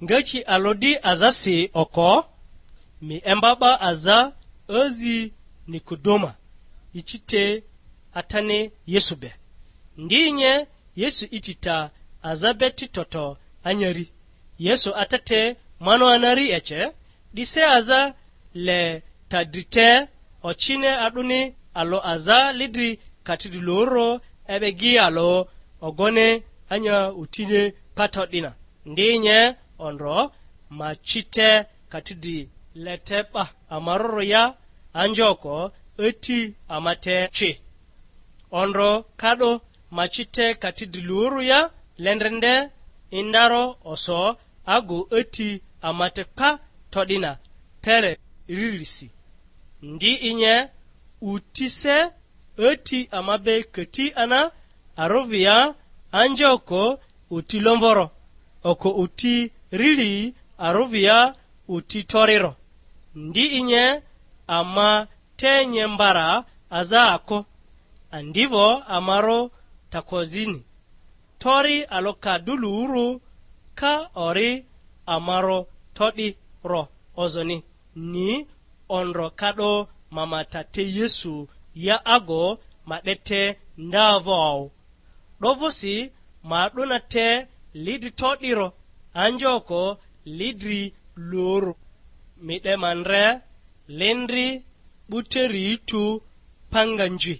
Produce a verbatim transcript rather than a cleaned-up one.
Ngaki alᴜ di azasi oko, mi emba 'ba aza azi Nikodoma, ici te atani Yesu be. Ndi nye Yesu iti ta aza be ti toto anyari. Yesu ata te mano anari ece, 'dise aza le ta dri te, ocini a'duni alᴜ aza lidri kati dri lurᴜ e'be gi alᴜ ogoni anya utini pato 'dina. Ndi nye ondro ma ci te kati dri le te 'ba amarᴜrᴜ ya, anjoko ati ama te ci. Ondro ka'do ma ci te kati dri lurᴜ ya, lendrende indaro oso ago ati ama te pa to'dina pele ririsi. Ndi inye utise ati ama be kati ana, arovia anjoko uti lomvoro, oko uti rili arovia uti toriro. Ndi inye ama te nye mbara aza ako, andivo amarᴜ takozini. Tori alokaduluuru ka ori amarᴜ to'di ro ozoni, ni ondro ka'do ma ma ta te Yesu ya ago ma 'de te ndavo. 'Dovᴜsi ma 'duna te lidri to'diro, anjoko lidri luru. Mi 'de ma ndre lindri 'buteri tu panganji.